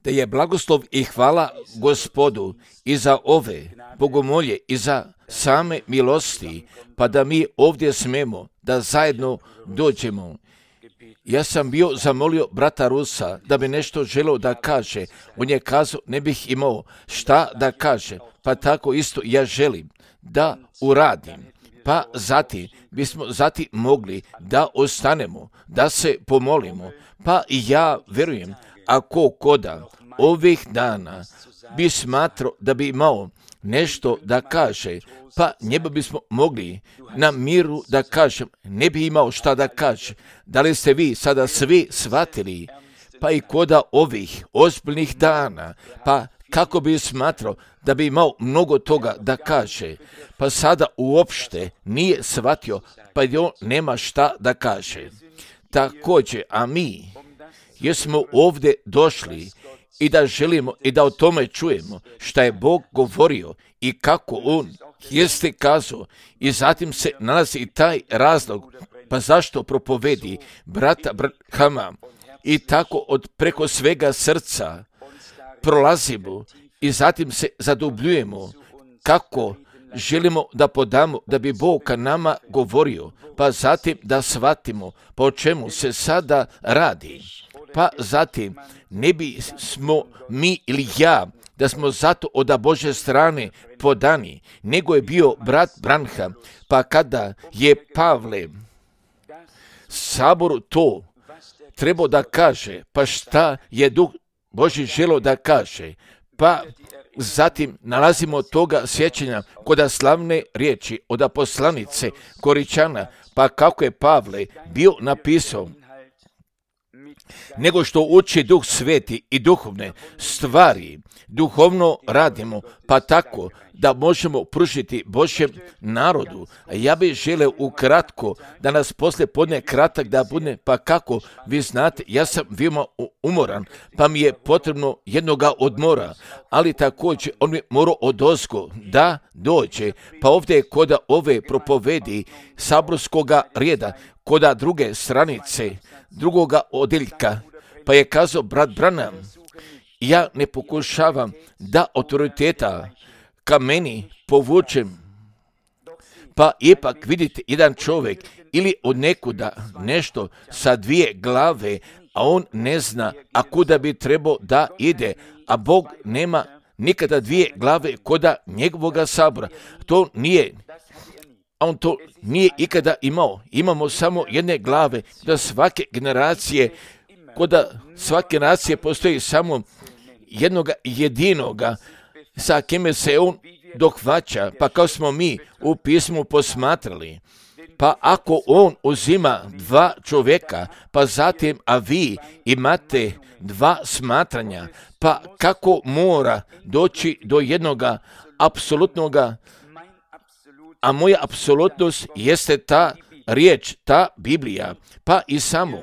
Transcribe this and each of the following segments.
Da je blagoslov i hvala Gospodu i za ove bogomolje i za same milosti, pa da mi ovdje smemo da zajedno dođemo. Ja sam bio zamolio brata Rusa da bi nešto želeo da kaže. On je kazao ne bih imao šta da kaže, pa tako isto ja želim da uradim. Pa zatim bismo mogli da ostanemo, da se pomolimo. Pa i ja vjerujem, ako koda ovih dana bi smatrao da bi imao nešto da kaže, pa njega bismo mogli na miru da kažem, ne bi imao šta da kaže. Da li ste vi sada svi shvatili? Pa i koda ovih ozbiljnih dana, pa kako bi smatrao da bi imao mnogo toga da kaže, pa sada uopšte nije shvatio, pa i on nema šta da kaže. Također, a mi jesmo ovdje došli i da želimo i da o tome čujemo šta je Bog govorio i kako On jeste kazao, i zatim se nalazi i taj razlog, pa zašto propovedi brata Branhama, i tako od preko svega srca prolazimo i zatim se zadubljujemo kako želimo da podamo da bi Bog ka nama govorio, pa zatim da shvatimo po čemu se sada radi. Pa zatim ne bismo mi ili ja da smo zato od Božje strane podani, nego je bio brat Branham, pa kada je Pavle saboru to trebao da kaže, pa šta je Duh Božji želio da kaže, pa zatim nalazimo toga sjećanja kod slavne riječi od poslanice Koričana, pa kako je Pavle bio napisao, nego što uči Duh Sveti i duhovne stvari, duhovno radimo, pa tako da možemo pružiti Božjem narodu. A ja bih želeo ukratko da nas poslije podne kratak da bude, pa kako vi znate, ja sam veoma umoran, pa mi je potrebno jednoga odmora, ali također on mi morao odozgo da dođe, pa ovdje je kod ove propovedi saborskoga reda, kod druge stranice, drugoga odjeljka, pa je kazao brat Branham, ja ne pokušavam da autoriteta ka meni povučem, pa ipak vidite jedan čovjek ili od nekuda nešto sa dvije glave, a on ne zna a kuda bi trebao da ide, a Bog nema nikada dvije glave koda njegovoga sabora. To nije, on to nije ikada imao. Imamo samo jedne glave, da svake generacije, koda svake nacije postoji samo jednoga jedinoga sa kime se on dohvaća, pa kao smo mi u pismu posmatrali. Pa ako on uzima dva čovjeka, pa zatim, a vi imate dva smatranja, pa kako mora doći do jednoga apsolutnoga, a moja apsolutnost jeste ta riječ, ta Biblija, pa i samo.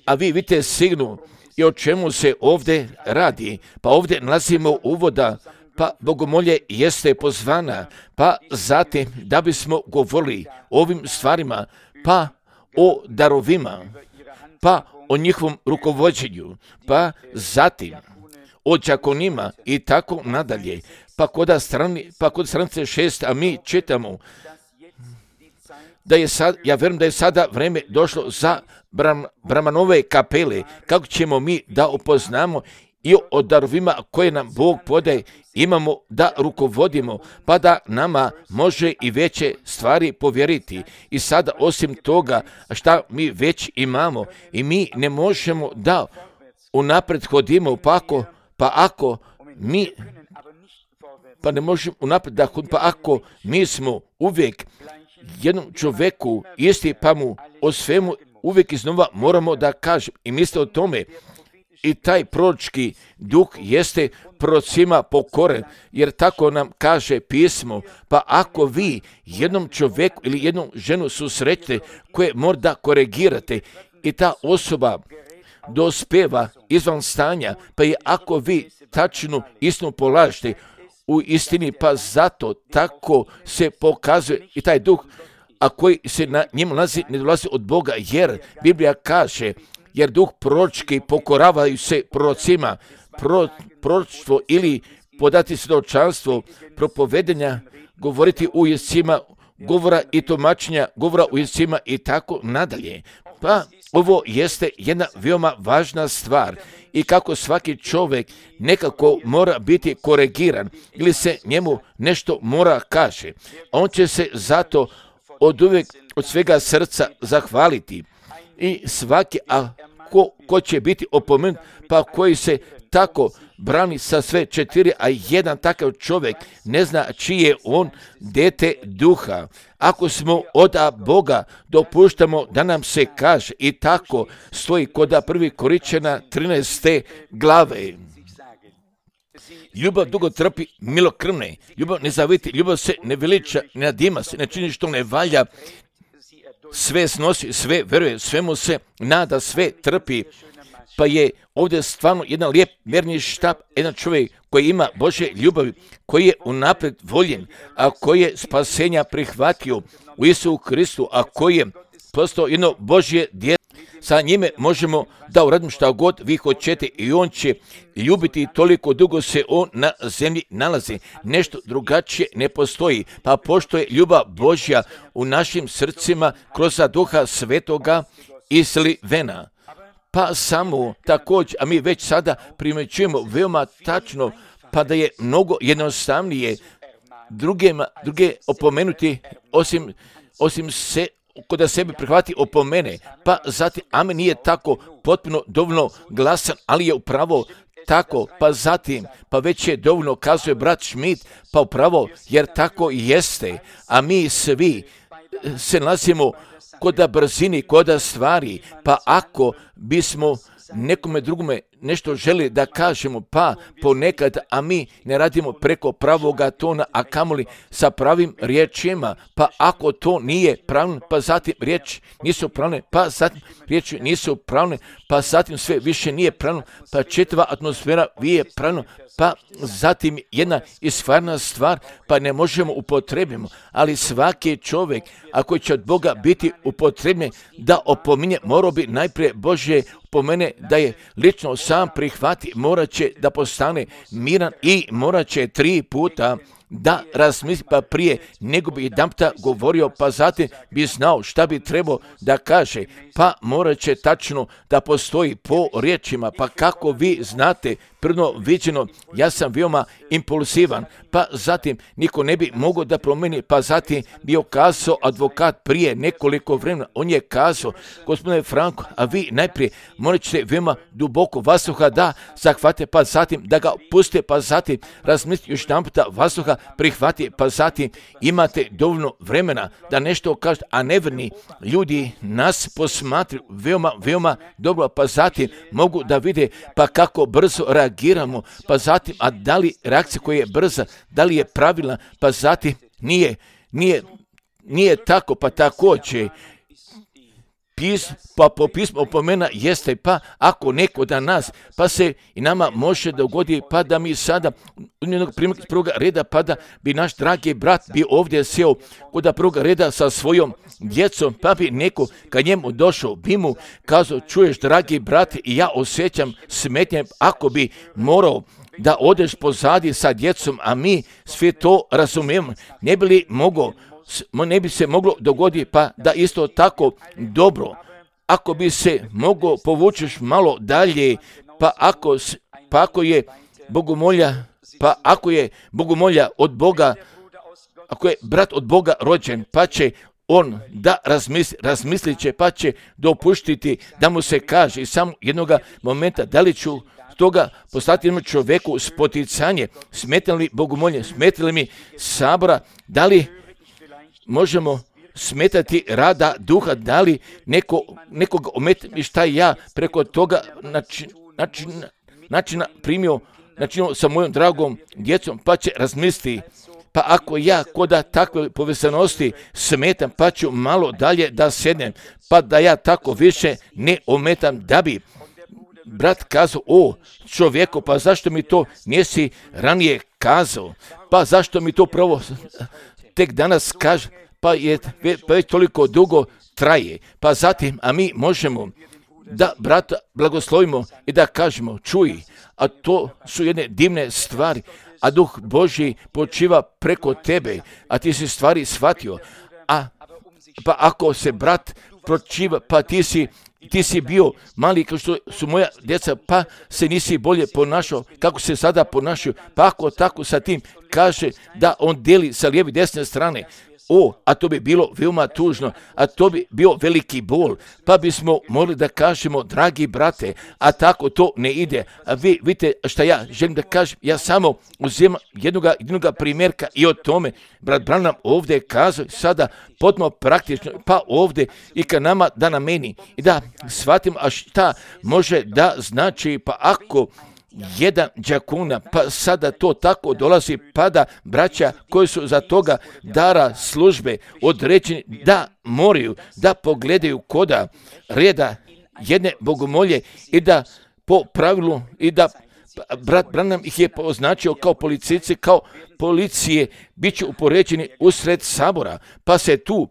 A vi vidite sigurno i o čemu se ovdje radi, pa ovdje nalazimo uvoda, pa bogomolje jeste pozvana, pa zatim da bismo govorili o ovim stvarima, pa o darovima, pa o njihovom rukovođenju, pa zatim o đakonima i tako nadalje. Pa kod stranice 6, a mi čitamo da je sad, ja vjerujem da je sada vrijeme došlo za Brahmanove kapele, kako ćemo mi da upoznamo i o darovima koje nam Bog podaje, imamo da rukovodimo, pa da nama može i veće stvari povjeriti. I sada osim toga šta mi već imamo i mi ne možemo da unaprijed hodimo, pa ako mi smo uvijek jednom čovjeku isti, pa mu o svemu uvijek iznova moramo da kažem i misle o tome. I taj proročki duh jeste prorocima pokoren, jer tako nam kaže pismo. Pa ako vi jednom čovjeku ili jednom ženu susrećete koje mora da korigirate i ta osoba dospeva izvan stanja, pa i ako vi tačnu istinu polažete u istini, pa zato tako se pokazuje i taj duh, a koji se na njemu nalazi, ne dolazi od Boga, jer Biblija kaže, jer duh proročki pokoravaju se prorocima, proročstvo ili podati svjedočanstvo, propovedanja, govoriti u jezicima, govora i tumačenja, govora u jezicima i tako nadalje. Pa ovo jeste jedna veoma važna stvar i kako svaki čovjek nekako mora biti koregiran ili se njemu nešto mora kaže. On će se zato oduvijek od svega srca zahvaliti i svaki, a ko će biti opomenut, pa koji se tako brani sa sve četiri, a jedan takav čovjek ne zna čiji je on dete duha. Ako smo od Boga, dopuštamo da nam se kaže i tako stoji kod 1. Korinćana 13. glave. Ljubav dugo trpi, milokrvne, ljubav ne zaviti, ljubav se ne veliča, ne nadima se, ne čini što ne valja, sve snosi, sve veruje, svemu se nada, sve trpi. Pa je ovdje stvarno jedan lijep mjerni štap, jedan čovjek koji ima Božje ljubavi, koji je unaprijed voljen, a koji je spasenja prihvatio u Isusu Kristu, a koji je postao jedno Božje dijete. Sa njime možemo da uradimo šta god vi hoćete i on će ljubiti toliko dugo se on na zemlji nalazi. Nešto drugačije ne postoji, pa pošto je ljubav Božja u našim srcima kroz Duha Svetoga izlivena. Pa samo također, a mi već sada primjećujemo veoma tačno, pa da je mnogo jednostavnije druge opomenuti osim se kod sebe prihvati opomene, pa zatim amen nije tako potpuno dovoljno glasan, ali je upravo tako, pa zatim, pa već je dovoljno, kazuje brat Schmidt, pa upravo, jer tako jeste, a mi svi se nalazimo kod brzini, kod stvari, pa ako bismo nekome drugome nešto želi da kažemo, pa ponekad, a mi ne radimo preko pravoga tona, a kamoli sa pravim riječima, pa ako to nije pravno, pa zatim riječi nisu pravne, pa zatim riječi nisu pravne, pa zatim sve više nije pravno, pa čitava atmosfera nije pravno, pa zatim jedna istvarna stvar, pa ne možemo upotrebimo, ali svaki čovjek, ako će od Boga biti upotrebljen da opominje, morao bi najprije Božje pomene da je lično sam prihvati, morat će da postane miran i morat će 3 puta da razmisli, pa prije nego bi jedanputa govorio, pa zatim bi znao šta bi trebao da kaže, pa morat će tačno da postoji po riječima, pa kako vi znate, prvo viđeno, ja sam veoma impulsivan, pa zatim niko ne bi mogao da promeni, pa zatim bio kazao advokat prije nekoliko vremena, on je kazao, gospodine Franko, a vi najprije morat ćete veoma duboko vazduha da zahvate, pa zatim da ga puste, pa zatim razmislite još jedanputa vazduha prihvati, pa zatim imate dovoljno vremena da nešto kažete, a neverni ljudi nas posmatruju veoma dobro, pa zatim mogu da vide pa kako brzo reagiramo, pa zatim, a da li reakcija koja je brza, da li je pravilna, pa zatim nije tako, pa također pa po pismu opomena jeste, pa ako neko da nas, pa se i nama može dogodi, pa da mi sada iz prvoga reda, pa da bi naš dragi brat bi ovdje sjeo kod prvoga reda sa svojom djecom, pa bi neko kad njemu došao, bi mu kazao, čuješ dragi brat, i ja osjećam smetnje, ako bi morao da odeš pozadi sa djecom, a mi sve to razumijemo, ne bi se moglo dogoditi, pa da isto tako dobro, ako bi se moglo povučeš malo dalje, pa ako je bogomolja od Boga, ako je brat od Boga rođen, pa će on da razmislit će, pa će dopuštiti da mu se kaže i samo jednoga momenta da li ću toga poslati jednom čovjeku spoticanje, smeta li bogomolje, smeta li mi sabora, da li možemo smetati rada duha, da li nekoga ometa i šta ja preko toga načina primio sa mojom dragom djecom, pa će razmisliti, pa ako ja koda takve povezanosti smetam, pa ću malo dalje da sednem, pa da ja tako više ne ometam, da bi brat kazao, čovjeku, pa zašto mi to nisi ranije kazao, pa zašto mi to pravo tek danas kaže, pa već toliko dugo traje, pa zatim, a mi možemo da brata blagoslovimo i da kažemo, čuj, a to su jedne divne stvari, a Duh Božji počiva preko tebe, a ti si stvari shvatio, pa ako se brat pročiva, pa ti si bio mali kao što su moja djeca, pa se nisi bolje ponašao kako se sada ponašaju, pa ako tako sa tim kaže da on deli sa lijeve i desne strane, a to bi bilo veoma tužno, a to bi bio veliki bol, pa bismo mogli da kažemo, dragi brate, a tako to ne ide. A vi vidite šta ja želim da kažem, ja samo uzimam jednoga primjerka i o tome, brat Branham ovdje kazao sada potpuno praktično, pa ovdje i ka nama da na meni i da shvatimo, a šta može da znači, pa ako jedan đakuna, pa sada to tako dolazi, pa da braća koji su za toga dara službe određeni da moraju da pogledaju koda reda jedne bogomolje i da po pravilu i da brat Branham ih je označio kao policajci, kao policije, bit će upoređeni usred sabora, pa se tu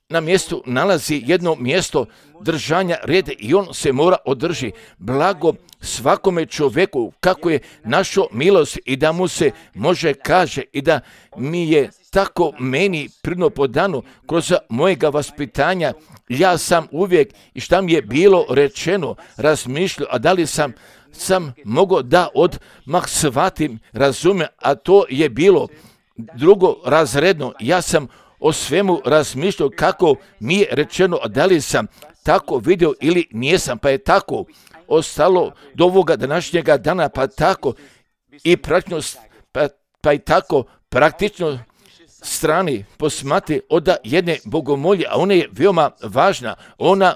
na mjestu nalazi jedno mjesto držanja reda i on se mora održi. Blago svakome čovjeku kako je našo milost i da mu se može kaže i da mi je tako meni pridno podano kroz mojega vaspitanja. Ja sam uvijek i šta mi je bilo rečeno razmišljao, a da li sam mogao da odmah shvatim, razumem, a to je bilo drugo razredno. Ja sam o svemu razmišljao kako mi je rečeno, a da li sam tako vidio ili nijesam, pa je tako ostalo do ovoga današnjega dana, pa tako i praktično, pa i tako praktično strani posmati od jedne bogomolje, a ona je veoma važna, ona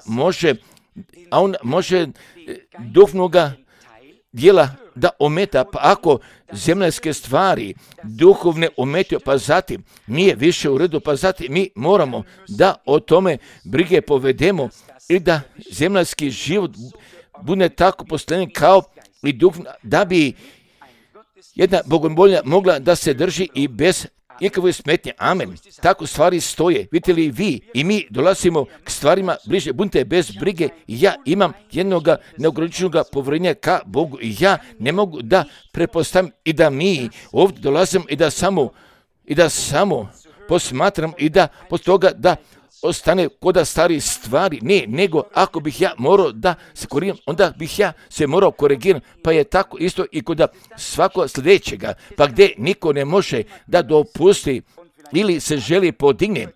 može duhovnoga dijela da ometa, pa ako zemljske stvari duhovne ometio, pa zatim nije više u redu, pa zatim mi moramo da o tome brige povedemo i da zemljski život bude tako postavljen kao i duhovna, da bi jedna bogomolja mogla da se drži i bez ikakve smetnje. Amen. Tako stvari stoje. Vidite li vi i mi dolazimo k stvarima bliže. Budite bez brige. Ja imam jednoga neograničenog povjerenja ka Bogu i ja ne mogu da prepostavim i da mi ovdje dolazimo i da samo posmatram i da poslije toga da ostane koda stari stvari. Ne, nego ako bih ja morao da se korigiram, onda bih ja se morao korigirati. Pa je tako isto i kod svakog sljedećega, pa gdje niko ne može da dopusti ili se želi podigne,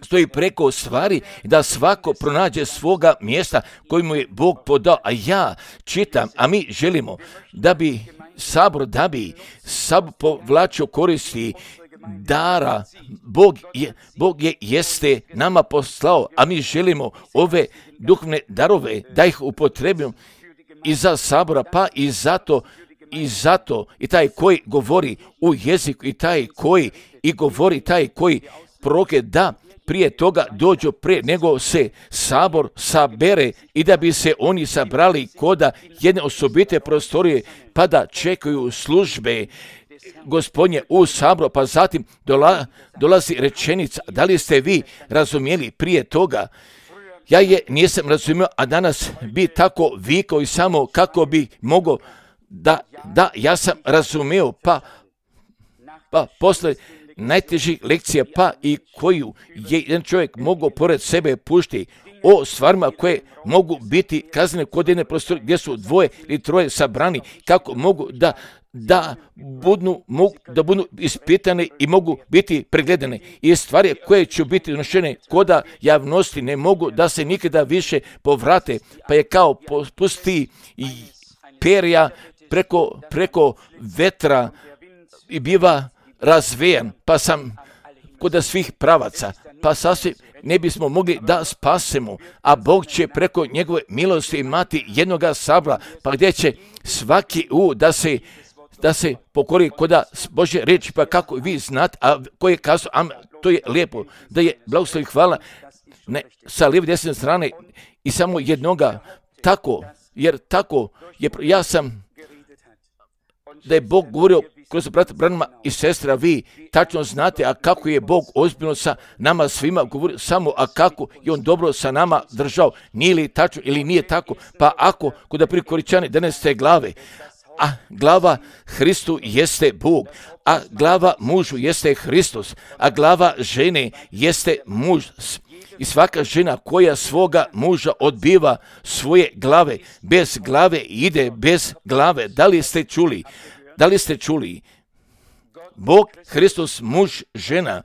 stoji preko stvari da svako pronađe svoga mjesta koji mu je Bog podao. A ja čitam, a mi želimo da bi sabor povlačio koristi dara. Bog jeste nama poslao, a mi želimo ove duhovne darove da ih upotrebimo i za sabora, pa i zato i taj koji govori u jeziku i taj koji i govori, taj koji proroke, da prije toga dođu prije nego se sabor sabere i da bi se oni sabrali koda jedne osobite prostorije, pa da čekaju službe Gospodnje u sabor, pa zatim dolazi rečenica. Da li ste vi razumjeli prije toga? Ja je nisam razumio, a danas bi tako vikao i samo kako bi mogao da ja sam razumio, pa posle najtežih lekcija, pa i koju je jedan čovjek mogao pored sebe pušti o stvarima koje mogu biti kaznene kod jedne prostorije gdje su dvoje ili troje sabrani, kako mogu da budu ispitane i mogu biti pregledane i stvari koje će biti donošene koda javnosti ne mogu da se nikada više povrate, pa je kao pusti perja preko vetra i biva razvejan, pa sam kod svih pravaca, pa sasvim ne bismo mogli da spasemo, a Bog će preko njegove milosti imati jednoga sabora, pa gdje će svaki da se pokori koda Božje riječi, pa kako vi znate, a koji je kazao, to je lijepo, da je blagoslov i hvala sa lijeve desne strane i samo jednoga, tako, jer tako je, ja sam, da je Bog govorio kroz brata Branhama i sestra, vi tačno znate, a kako je Bog ozbiljno sa nama svima govorio samo, a kako je on dobro sa nama držao, nije li tačno ili nije tako, pa ako kod Koričani 11. glave, a glava Hristu jeste Bog, a glava mužu jeste Hristos, a glava žene jeste muž. I svaka žena koja svoga muža odbiva svoje glave, bez glave ide bez glave. Da li ste čuli? Da li ste čuli? Bog, Hristos, muž, žena,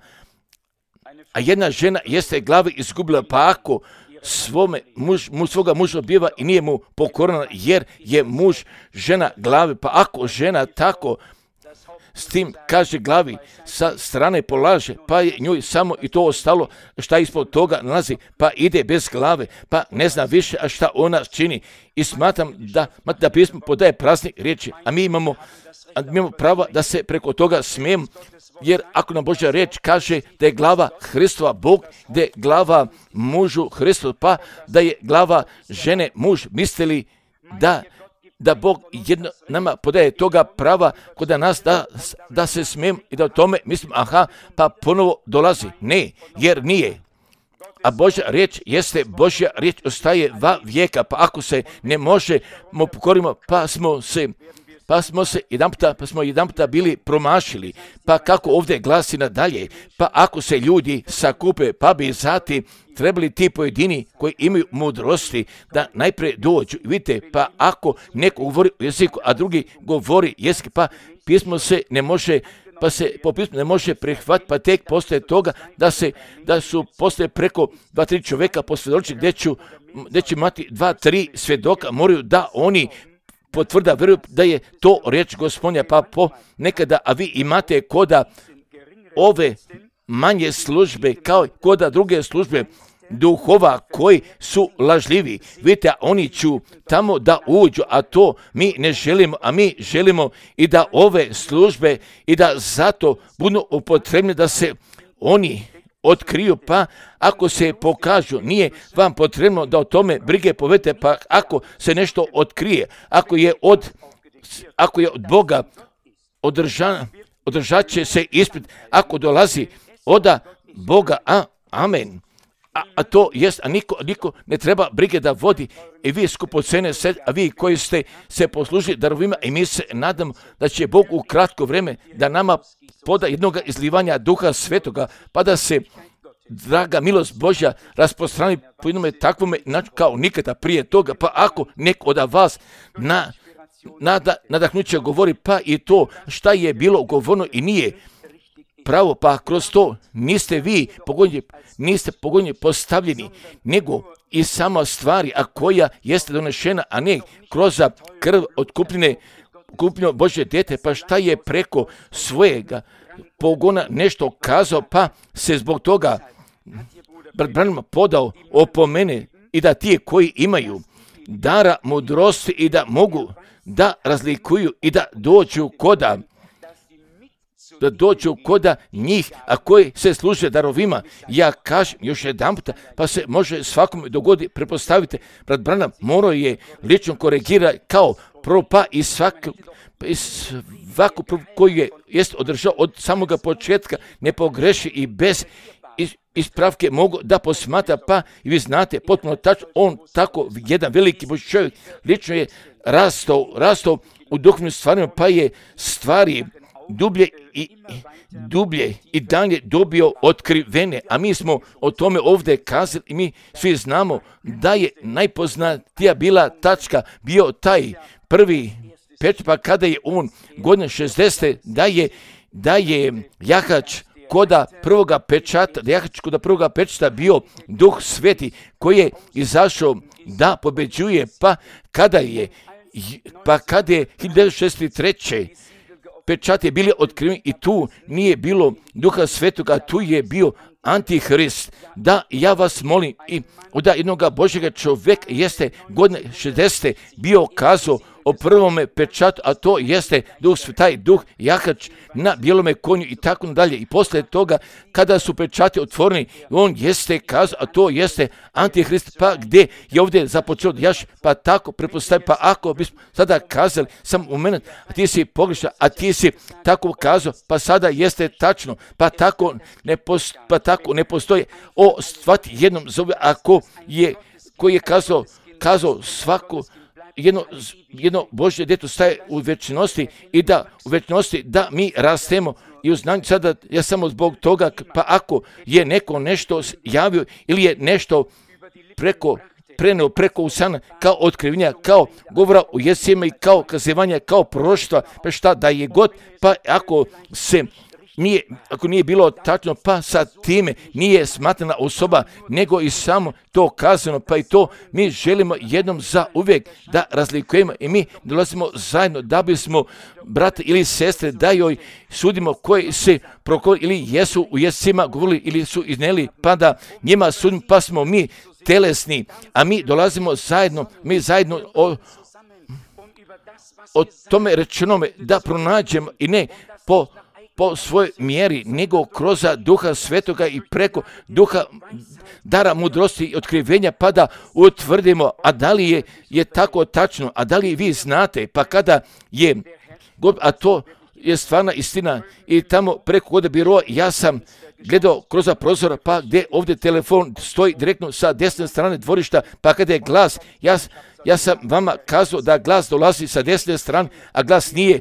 a jedna žena jeste glave izgubila, pa ako svoga muža odbiva i nije mu pokorana, jer je muž žena glave, pa ako žena tako s tim kaže glavi sa strane polaže, pa je njoj samo i to ostalo šta ispod toga nalazi, pa ide bez glave, pa ne zna više a šta ona čini. I smatram da pismo podaje prazne riječi, a mi imamo pravo da se preko toga smijemo, jer ako nam Božja riječ kaže da je glava Hristova Bog, da je glava mužu Hristo, pa da je glava žene muž, mislili da Bog jedno nama podaje toga prava kod nas da se smijem i da o tome mislim, pa ponovo dolazi. Ne, jer nije. A Božja riječ jeste, Božja riječ ostaje va vijeka, pa ako se ne možemo pokorimo, pa smo jedanputa bili promašili, pa kako ovdje glasi nadalje, pa ako se ljudi sakupe, pa bi zatim trebali ti pojedini koji imaju mudrosti da najprije dođu. Vidite, pa ako neko govori u jeziku, a drugi govori jezik, pa pismo se ne može, pa se po pismu ne može prihvatiti, pa tek postoje toga da su postoje preko 2-3 čovjeka posvjedoči gdje će imati 2-3 svjedoka, moraju da oni potvrda vjeruju da je to riječ Gospodnja, pa nekada, a vi imate koda ove manje službe kao koda druge službe duhova koji su lažljivi. Vidite, oni ću tamo da uđu, a to mi ne želimo, a mi želimo i da ove službe i da zato budu upotrebni da se oni otkriju, pa ako se pokažu, nije vam potrebno da o tome brige povedete, pa ako se nešto otkrije, ako je od Boga održat će se ispit, ako dolazi od Boga, amen. A to jest, a niko ne treba brige da vodi, i vi skupocene se, a vi koji ste se poslužili darovima, i mi se nadamo da će Bog u kratko vrijeme da nama poda jednog izlivanja Duha Svetoga, pa da se draga milost Božja rasprostrani po jednome takvome kao nikada prije toga, pa ako neko od vas nadahnuće govori, pa i to šta je bilo govorno i nije pravo, pa kroz to niste pogonjeni postavljeni, nego i sama stvari, a koja jeste donešena, a ne kroz krv otkupljeno Božje dijete, pa šta je preko svojega pogona nešto kazao, pa se zbog toga brat Branham podao opomene i da ti koji imaju dara mudrosti i da mogu da razlikuju i da dođu koda njih, a koji se služe darovima. Ja kažem još jedan puta, pa se može svakome dogodi, prepostavite, brat Branham morao je lično korigirati kao prvo, pa i svaku koji jest održao od samoga početka, ne pogreši i bez ispravke mogu da posmatra, pa i vi znate potpuno tačno, on tako jedan veliki Božji čovjek lično je rastao u duhovnim stvarima, pa je stvari dublje i dalje dobio otkrivene, a mi smo o tome ovdje kazali i mi svi znamo da je najpoznatija bila tačka bio taj prvi pečat, pa kada je on godine 60. da je jahač koda prvoga pečata bio Duh Sveti koji je izašao da pobeđuje, pa kada je 1963. pečati je bili otkriveni i tu nije bilo Duha Svetoga, tu je bio Antihrist. Da, ja vas molim, i da jednoga Božjega čovjeka jeste godine 60. bio kazao o prvome pečatu, a to jeste taj duh jahač na bijelome konju i tako dalje. I poslije toga, kada su pečati otvoreni, on jeste kazao, a to jeste Antihrist, pa gdje je ovdje započeo jaš, pa tako prepostavio, pa ako bismo sada kazali, sam u mene, a ti si pogrešan, a ti si tako kazao, pa sada jeste tačno, pa tako ne postoji o svati jednom zove, ako je, koji je kazao svako jedno Božje djeto staje u večnosti i da u večnosti da mi rastemo i u znanju. Sada ja samo zbog toga, pa ako je neko nešto javio ili je nešto preneo preko usana kao otkrivenja, kao govora u jezicima i kao kazivanja, kao proroštva, pa šta da je god, pa ako nije bilo tačno, pa sa time nije smatrana osoba, nego i samo to kazano, pa i to mi želimo jednom za uvijek da razlikujemo i mi dolazimo zajedno da bismo brate ili sestre da joj sudimo koji se prokoli ili jesu u jezicima govorili ili su iznijeli, pa da njima sudimo, pa smo mi telesni, a mi dolazimo zajedno, o tome rečenome da pronađemo i ne po svojoj mjeri, nego kroz Duha Svetoga i preko Duha dara mudrosti i otkrivenja, pa da utvrdimo, a da li je tako tačno, a da li vi znate, pa kada je, a to je stvarna istina i tamo preko kod biroa ja sam gledao kroz prozora, pa gdje ovdje telefon stoji direktno sa desne strane dvorišta, pa kada je glas, ja sam vama kazao da glas dolazi sa desne strane, a glas nije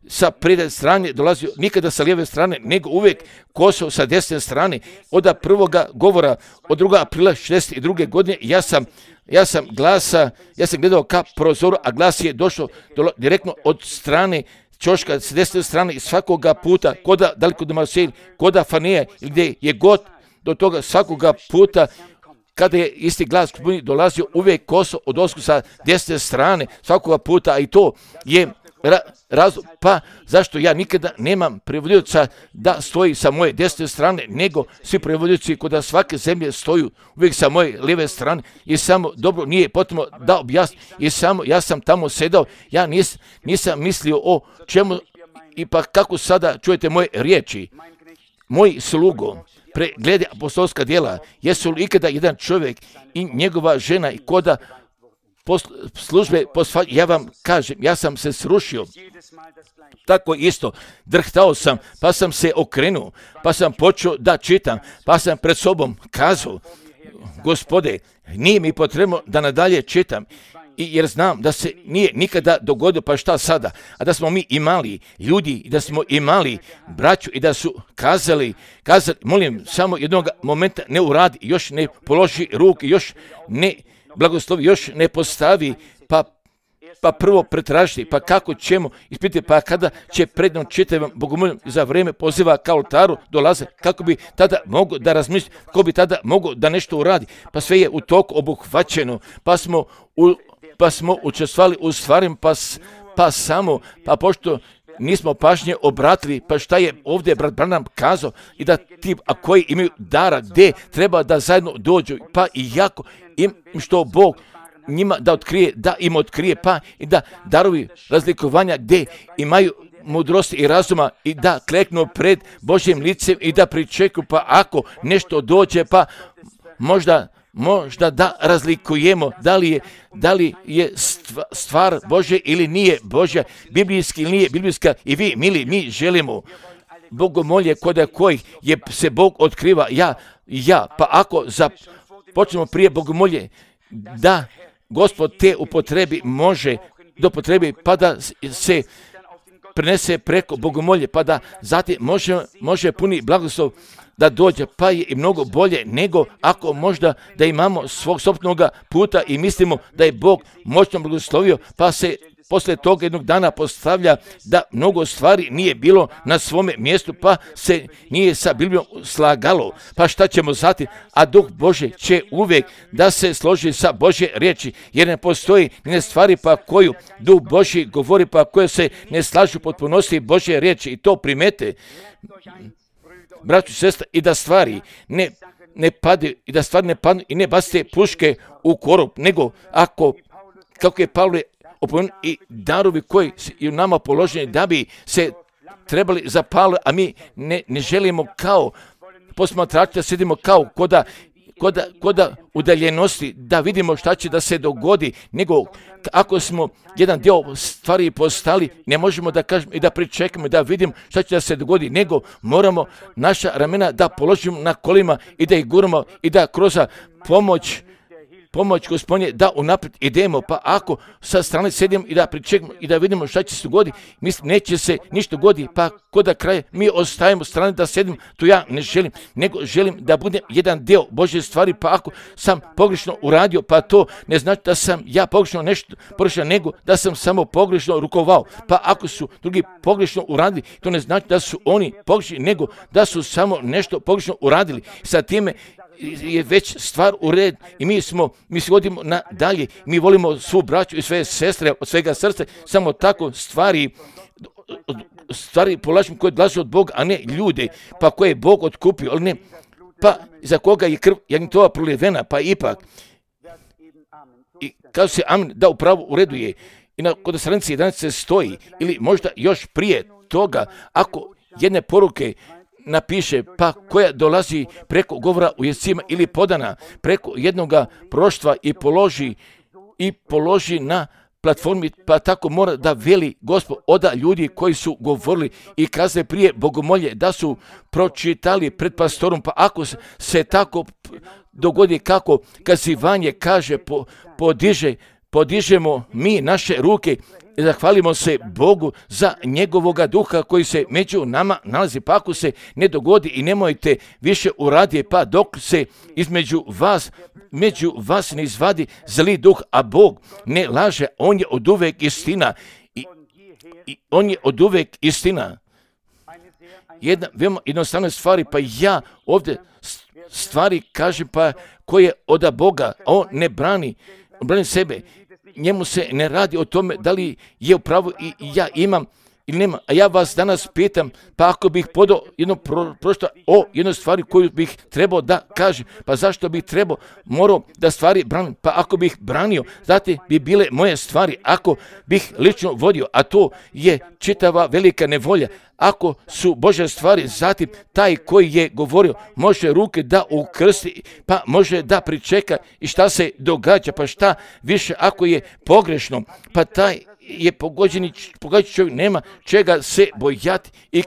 sa prednje strane dolazio nikada sa lijeve strane, nego uvijek koso sa desne strane. Od prvoga govora, od 2. aprila 1962. godine, ja sam gledao ka prozoru, a glas je došao direktno od strane čoška s desne strane i svakoga puta, koda daleko do Marseille, koda Fanija, gdje je god do toga svakoga puta, kada je isti glas dolazio uvijek koso od osku sa desne strane, svakoga puta, a i to je razlog, pa zašto ja nikada nemam prevodioca da stoji sa moje desne strane, nego svi prevodioci kod svake zemlje stoju uvijek sa moje lijeve strane i samo dobro nije potrebno da objasnim i samo ja sam tamo sedao, ja nisam mislio o čemu i pa kako sada čujete moje riječi. Moji slugo preglede apostolska djela, jesu li ikada jedan čovjek i njegova žena i koda službe, ja vam kažem, ja sam se srušio, tako isto, drhtao sam, pa sam se okrenuo, pa sam počeo da čitam, pa sam pred sobom kazao, Gospode, nije mi potrebno da nadalje čitam, jer znam da se nije nikada dogodilo, pa šta sada, a da smo mi imali ljudi, da smo imali braću i da su kazali, molim, samo jednog momenta ne uradi, još ne položi ruke, još ne blagoslovi, još ne postavi, pa prvo pretražiti, pa kako ćemo ispitati, pa kada će prednom čitavom bogomoljem za vrijeme poziva ka oltaru dolaze, kako bi tada mogo da razmisli, ko bi tada mogo da nešto uradi, pa sve je u toku obuhvaćeno, pa smo učestvovali u stvarima, pa pošto nismo pažnje obratili, pa šta je ovdje brat Branham kazao i da ti, a koji imaju dara, gdje treba da zajedno dođu, pa i jako im što Bog njima da otkrije, da im otkrije, pa i da darovi razlikovanja gdje imaju mudrosti i razuma i da kleknu pred Božjim licem i da pričekuju, pa ako nešto dođe, pa možda da razlikujemo da li je stvar Božja ili nije Božja, biblijski ili nije biblijska i vi, mili, mi želimo bogomolje kod kojih se Bog otkriva, pa ako počnemo prije bogomolje, da Gospod te upotrebi može dopotrebi, pa da se prenese preko bogomolje, pa da zatim može puni blagoslov da dođe, pa je i mnogo bolje nego ako možda da imamo svog sopstvenog puta i mislimo da je Bog moćno blagoslovio, pa se poslije toga jednog dana postavlja da mnogo stvari nije bilo na svome mjestu, pa se nije sa Biblijom slagalo. Pa šta ćemo zatim? A Duh Božji će uvijek da se složi sa Božje riječi, jer ne postoji ni stvari pa koju Duh Božji govori, pa koje se ne slažu potpunosti Božje riječi i to primete, braćo i sestre, i da stvari ne padnu i ne bacite puške u korov, nego kako je Pavle i darovi koji su u nama položeni da bi se trebali zapaliti, a mi ne želimo kao posmatrači da sedimo kao koda udaljenosti, da vidimo šta će da se dogodi, nego ako smo jedan dio stvari postali, ne možemo da kažemo i da pričekamo da vidimo šta će da se dogodi, nego moramo naša ramena da položimo na kolima i da ih guramo i da kroz pomoć Gospodnje da unaprijed idemo, pa ako sa strane sedimo i da pričekamo i da vidimo šta će se dogoditi, mislim neće se ništa dogoditi, pa kod da kraja mi ostajemo strane da sedimo, to ja ne želim, nego želim da budem jedan dio Božje stvari, pa ako sam pogrešno uradio, pa to ne znači da sam ja pogrešno nešto pogrešno, nego da sam samo pogrešno rukovao, pa ako su drugi pogrešno uradili, to ne znači da su oni pogrešni, nego da su samo nešto pogrešno uradili. Sa time je već stvar u red i mi se vodimo nadalje, mi volimo svu braću i sve sestre od svega srca, samo tako stvari polažimo koje dolaze od Boga, a ne ljude, pa koje je Bog otkupio, ali ne, pa za koga je krv jagnjetova prolivena, pa ipak. I kaže se amen, da upravo u redu je. I kod stranice 11 stoji, ili možda još prije toga, ako jedne poruke napiše, pa koja dolazi preko govora u jezicima ili podana preko jednoga proštva i položi na platformi, pa tako mora da veli Gospod oda ljudi koji su govorili i kazali prije bogomolje da su pročitali pred pastorom, pa ako se tako dogodi kako kazivanje kaže, podižemo mi naše ruke i zahvalimo se Bogu za njegovoga duha koji se među nama nalazi, pa ako se ne dogodi i nemojte više uraditi, pa dok se među vas ne izvadi zli duh, a Bog ne laže, on je oduvek istina i on je oduvek istina. Jedna veoma jednostavna stvari, pa ja ovdje stvari kažem, pa koje od Boga, on ne brani sebe. Njemu se ne radi o tome da li je u pravu i ja imam ili nema. A ja vas danas pitam, pa ako bih podao o jednoj stvari koju bih trebao da kažem, pa zašto bih morao da stvari branim? Pa ako bih branio, znate, bi bile moje stvari, ako bih lično vodio, a to je čitava velika nevolja. Ako su Božje stvari, zatim taj koji je govorio može ruke da ukrsti, pa može da pričeka i šta se događa, pa šta više ako je pogrešno, pa taj je pogođeni čovjek nema čega se bojati i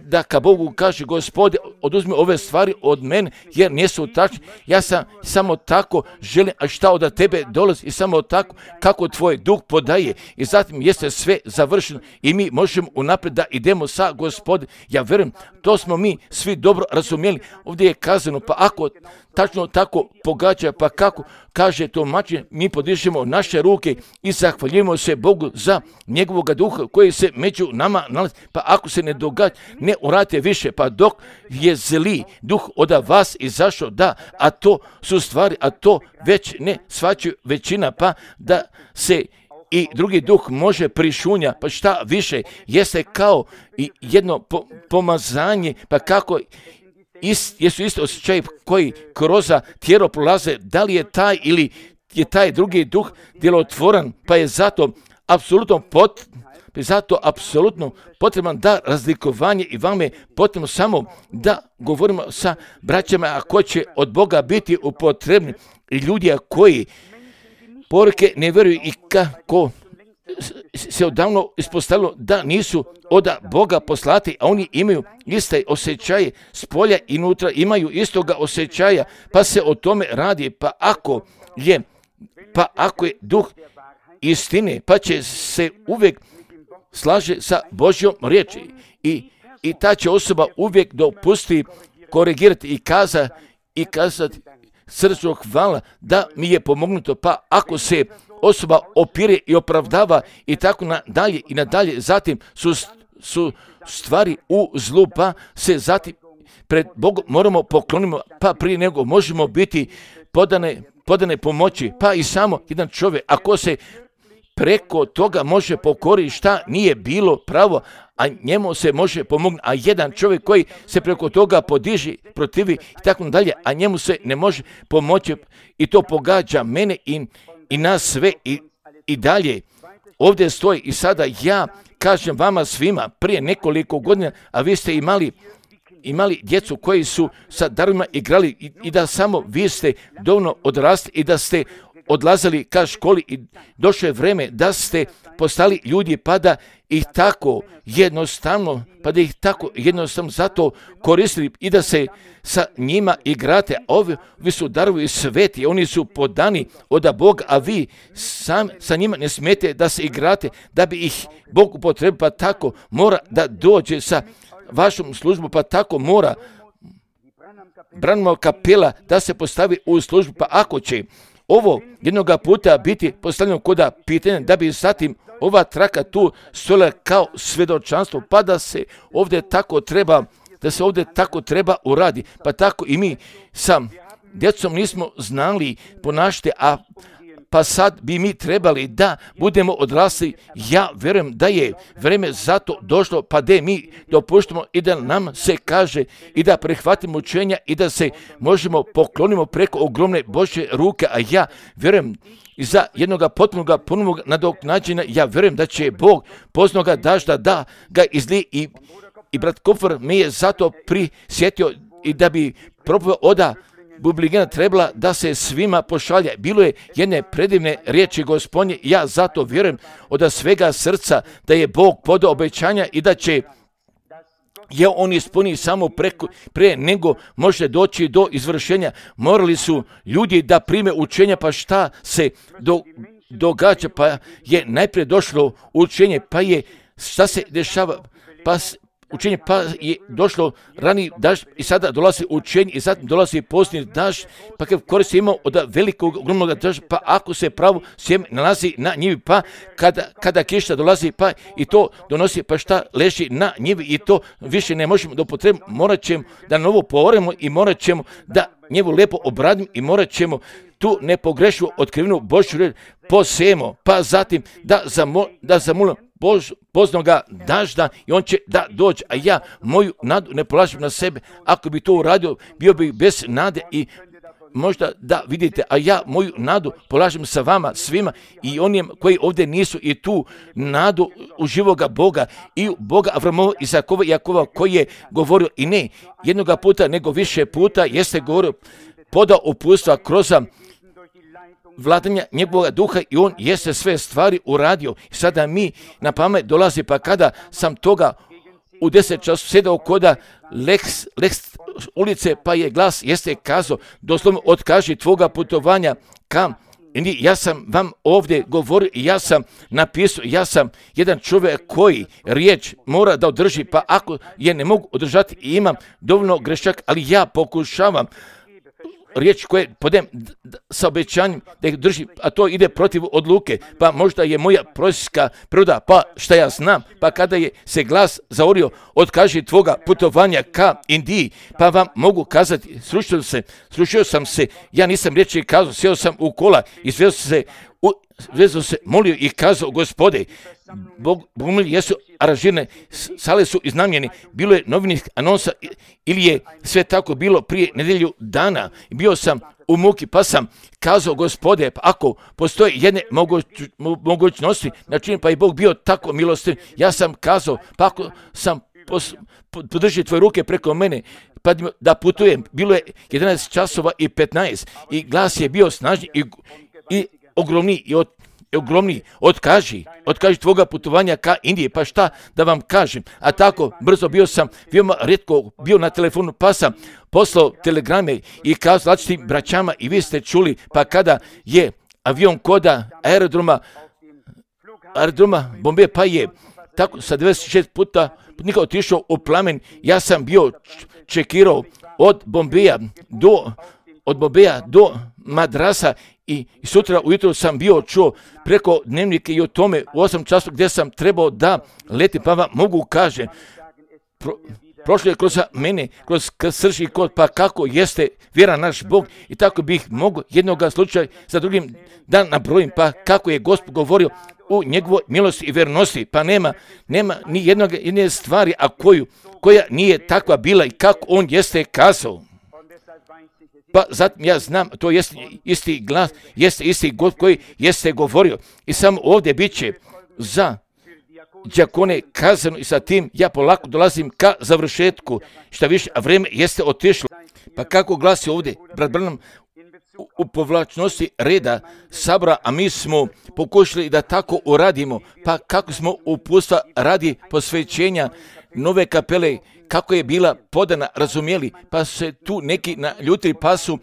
da ka Bogu kaže Gospode oduzmi ove stvari od mene jer nisu tačne, ja sam samo tako želim, a šta od tebe dolazi i samo tako kako tvoj duh podaje i zatim jeste sve završeno i mi možemo unaprijed da idemo sa Gospode. Ja vjerujem, to smo mi svi dobro razumjeli. Ovdje je kazano, pa ako tačno tako pogađa, pa kako kaže tumačenje, mi podižemo naše ruke i zahvaljujemo se Bogu za njegovog duha koji se među nama nalazi, pa ako se ne događa, ne uradite više, pa dok je zli duh od vas izašao, da, a to su stvari, a to već ne shvaćaju većina, pa da se i drugi duh može prišunja, pa šta više, jeste kao i jedno pomazanje, pa kako jesu isto osjećaji koji kroz tijelo prolaze, da li je taj ili je taj drugi duh djelotvoran, pa je zato apsolutno potreban da razlikovanje i vam je potrebno samo da govorimo sa braćama, a koji će od Boga biti upotrebni i ljudi koji poruke ne vjeruju i kako se odavno ispostavilo da nisu od Boga poslati, a oni imaju iste osjećaje s polja i unutra, imaju istoga osjećaja, pa se o tome radi, pa ako je duh istine, pa će se uvijek slaže sa Božjom riječi i ta će osoba uvijek dopusti korigirati i kazati srcu hvala da mi je pomognuto, pa ako se osoba opire i opravdava i tako nadalje, zatim su stvari u zlu, pa se zatim pred Bogom moramo poklonimo, pa prije nego možemo biti podane pomoći, pa i samo jedan čovjek, ako se preko toga može pokoriti šta nije bilo pravo, a njemu se može pomognuti, a jedan čovjek koji se preko toga podiži, protivi i tako dalje, a njemu se ne može pomoći i to pogađa mene i nas sve i dalje ovdje stoji i sada ja kažem vama svima prije nekoliko godina, a vi ste imali djecu koji su sa darovima igrali i da samo vi ste dovoljno odrasli i da ste odlazili ka školi i došlo je vreme da ste postali ljudi pa da ih tako jednostavno zato koristili i da se sa njima igrate. Ovi su darovi sveti, oni su podani od Boga, a vi sam sa njima ne smijete da se igrate, da bi ih Bog upotrebio, pa tako mora da dođe sa vašom službom, pa tako mora Branhamova kapela da se postavi u službu, pa ako će ovo jednoga puta biti postavljeno koda pitanja, da bi zatim ova traka tu stojala kao svjedočanstvo, pa da se ovdje tako treba uradi, pa tako i mi sa djecom nismo znali ponašati, pa sad bi mi trebali da budemo odrasli. Ja vjerujem da je vrijeme za to došlo, pa da mi dopuštamo i da nam se kaže i da prihvatimo učenja i da se možemo poklonimo preko ogromne Božje ruke, a ja vjerujem i za jednoga potpunog ponovnog nadoknađenja, ja vjerujem da će Bog poznoga dažda da ga izlije i brat Kofer me je zato prisjetio i da bi propovjed oda Bubligena trebala da se svima pošalje. Bilo je jedne predivne riječi Gospodnje, ja zato vjerujem od svega srca da je Bog podao obećanja i da će je on ispuni samo prije nego može doći do izvršenja. Morali su ljudi da prime učenja, pa šta se događa, pa je najprije došlo učenje, pa je šta se dešava, učenje, pa je došlo rani dažd i sada dolazi učenje i zatim dolazi posljednji dažd, pa kad koristi imao od velikog ogromnog dažda, pa ako se pravo sjeme nalazi na njivi, pa kada kiša dolazi, pa i to donosi, pa šta leži na njivi i to više ne možemo da upotrebimo, morat ćemo da novo pooremo i morat ćemo da njevu lijepo obradimo i morat ćemo tu nepogrešivu otkrivenu Božju riječ posijemo, pa zatim da zamolimo poznoga dažda i on će da dođe, a ja moju nadu ne polažem na sebe. Ako bi to uradio, bio bi bez nade i možda da vidite, a ja moju nadu polažem sa vama svima i onim koji ovdje nisu i tu nadu u živoga Boga i u Boga Avramova, Izakova i Jakova koji je govorio i ne jednoga puta nego više puta jeste govorio, podao uputstva kroz vladanja njegovog duha i on jeste sve stvari uradio. Sada mi na pamet dolazi, pa kada sam toga u 10 času sjedao koda Lex ulice, pa je glas jeste kazao, doslovno otkaži tvoga putovanja kam. I ja sam vam ovdje govorio i ja sam napisao, ja sam jedan čovjek koji riječ mora da održi, pa ako je ne mogu održati i imam dovoljno grešaka, ali ja pokušavam riječ koje podem sa obećanjem da ih drži, a to ide protiv odluke, pa možda je moja prosječka priroda, pa šta ja znam, pa kada je se glas zaorio, otkaži tvoga putovanja ka Indiji, pa vam mogu kazati, srušio sam se, ja nisam riječi kazao, sjeo sam u kola i vezao se, molio i kazao, Gospode, Bogumilji jesu aranžirane, sale su iznajmljene, bilo je novinih anonsa ili je sve tako bilo prije nedelju dana. Bio sam u muki, pa sam kazao, Gospode, pa ako postoje jedne mogućnosti, znači pa i Bog bio tako milostiv, ja sam kazao, pa ako sam podrži tvoje ruke preko mene, pa da putujem, bilo je 11 časova i 15 i glas je bio snažni i ogromni, otkaži tvoga putovanja ka Indiji, pa šta da vam kažem, a tako brzo bio sam, veoma rijetko bio na telefonu, pa sam poslao telegrame i kazao različitim braćama i vi ste čuli, pa kada je avion koda aerodroma Bombeja, pa je tako sa 96 puta nikad otišao u plamen, ja sam bio čekirao od Bombeja do Madrasa i sutra ujutro sam bio čuo preko dnevnika i o tome u 8 časova gdje sam trebao da leti, pa vam mogu kažem, prošlo je kroz mene, kroz srž i kod, pa kako jeste vjera naš Bog i tako bih mogao jednoga slučaja za drugim da nabrojim, pa kako je Gospod govorio u njegovoj milosti i vernosti, pa nema ni jedne stvari, a koja nije takva bila i kako on jeste kazao. pa zatim ja znam, to jest isti glas, jeste isti God koji jeste govorio. I samo ovdje bit će za đakone kazano i sa tim ja polako dolazim ka završetku. Šta više, a vrijeme jeste otišlo. Pa kako glasi ovdje, brat Branham, u povlačnosti reda sabora, a mi smo pokušali da tako uradimo, pa kako smo uputstva radi posvećenja nove kapele, kako je bila podana, razumjeli, pa se tu neki naljutili, pa su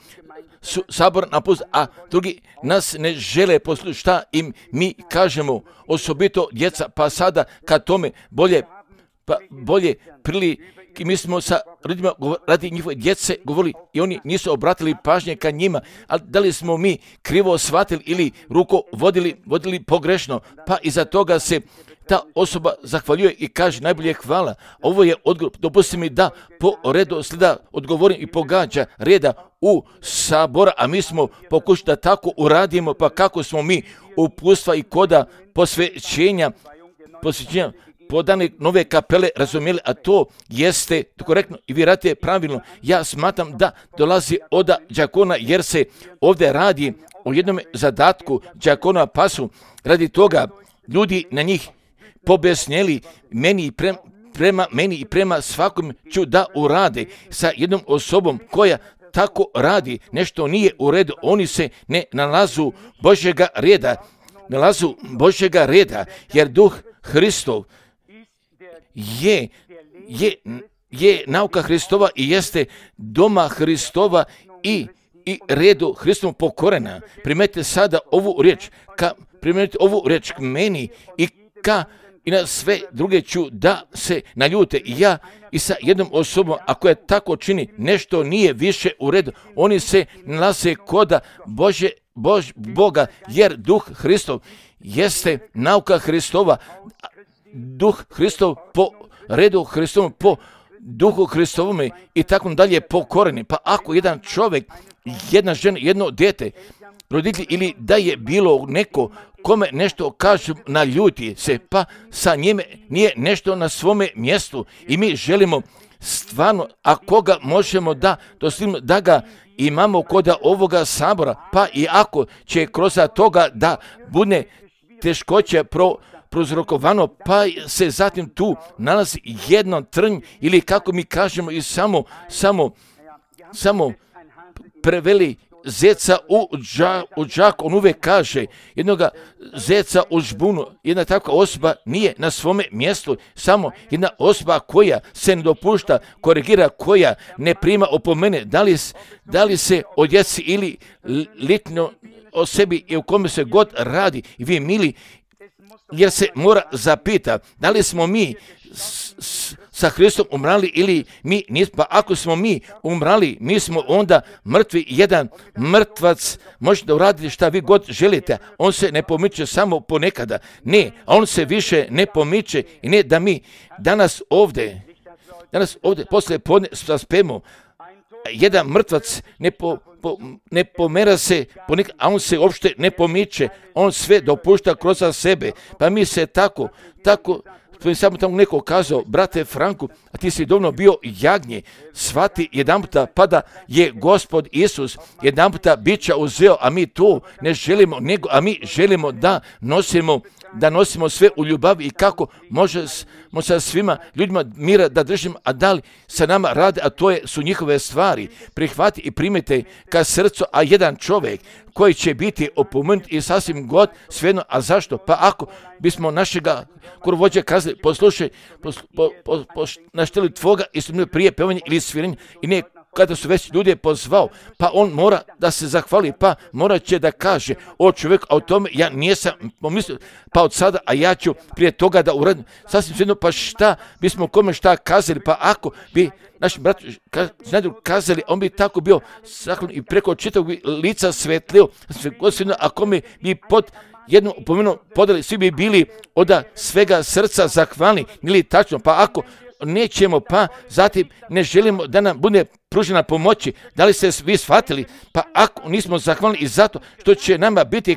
sabor napustili, a drugi nas ne žele poslušati šta im mi kažemo, osobito djeca, pa sada kad tome bolje prilike, mi smo sa ljudima radi njihove djece govorili i oni nisu obratili pažnje ka njima, ali da li smo mi krivo shvatili ili ruko vodili pogrešno, pa iza toga se ta osoba zahvaljuje i kaže najbolje hvala. Ovo je odgovor, dopusti mi da po redu slijeda odgovorim i pogađa reda u sabora, a mi smo pokušali da tako uradimo, pa kako smo mi uputstva i koda posvećenja podane nove kapele razumjeli, a to jeste korektno i vi radite pravilno. Ja smatram da dolazi od đakona jer se ovdje radi o jednom zadatku đakona, pa su radi toga ljudi na njih pobesnjeli prema meni i prema svakom ću da urade sa jednom osobom koja tako radi, nešto nije u redu, oni se ne nalazu Božjega reda, jer duh Hristov je nauka Hristova i jeste doma Hristova i redu Hristovom pokorena. Primetite sada ovu riječ k meni i na sve druge ću da se naljute. Ja i sa jednom osobom, ako je tako čini, nešto nije više u redu. Oni se nalaze koda Boga, jer duh Hristov jeste nauka Hristova. Duh Hristov po redu Hristovom, po duhu Hristovome i tako dalje pokoreni. Pa ako jedan čovjek, jedna žena, jedno dijete, roditelj ili da je bilo neko kome nešto kažu naljuti se, pa sa njime nije nešto na svome mjestu i mi želimo stvarno, a koga možemo da ga imamo kod ovoga sabora, pa i ako će kroz toga da bude teškoće prouzrokovano, pa se zatim tu nalazi jedno trnj ili kako mi kažemo i samo preveli zeca u džak, on uvijek kaže jednoga zeca u žbunu. Jedna takva osoba nije na svome mjestu, samo jedna osoba koja se ne dopušta, korigira, koja ne prima opomene, da li se o djeci ili litno o sebi i u kome se god radi. I vi mili, jer se mora zapita da li smo mi sa Hristom umrali ili mi nismo. Pa ako smo mi umrali, mi smo onda mrtvi. Jedan mrtvac može da uradi šta vi god želite. On se ne pomiče samo ponekada. Ne, on se više ne pomiče i ne da mi danas ovdje poslije podne saspemo. Jedan mrtvac ne pomera se ponekad, a on se uopšte ne pomiče. On sve dopušta kroz sebe. Pa mi se tako to je samo tamo neko kazao, brate Franku, a ti si dovoljno bio jagnje, shvati jedan puta, pa da je Gospod Isus jedan puta bića uzeo, a mi to ne želimo, a mi želimo da nosimo sve u ljubavi i kako možemo sa svima ljudima mira da držimo, a da li sa nama rade, a to su njihove stvari. Prihvati i primite ka srcu, a jedan čovjek koji će biti opomenut i sasvim god svejedno, a zašto? Pa ako bismo našega korovođa kazali, poslušaj, našteli tvoga i su prije pevanja ili sviranja i ne kada su već ljudi pozvao, pa on mora da se zahvali, pa morat će da kaže, o čovjek, a o tome ja nisam pomislio, pa od sada, a ja ću prije toga da uradim, sasvim svejedno, pa šta bismo kome šta kazali, pa ako bi naši brat kazali, on bi tako bio zahvalan i preko čitavog lica svetlio, a kome bi pod jednu upomenu podali, svi bi bili od svega srca zahvalni, ili tačno, pa ako nećemo, pa zatim ne želimo da nam bude pružena pomoći. Da li ste vi shvatili? Pa ako nismo zahvalni i zato što će nama biti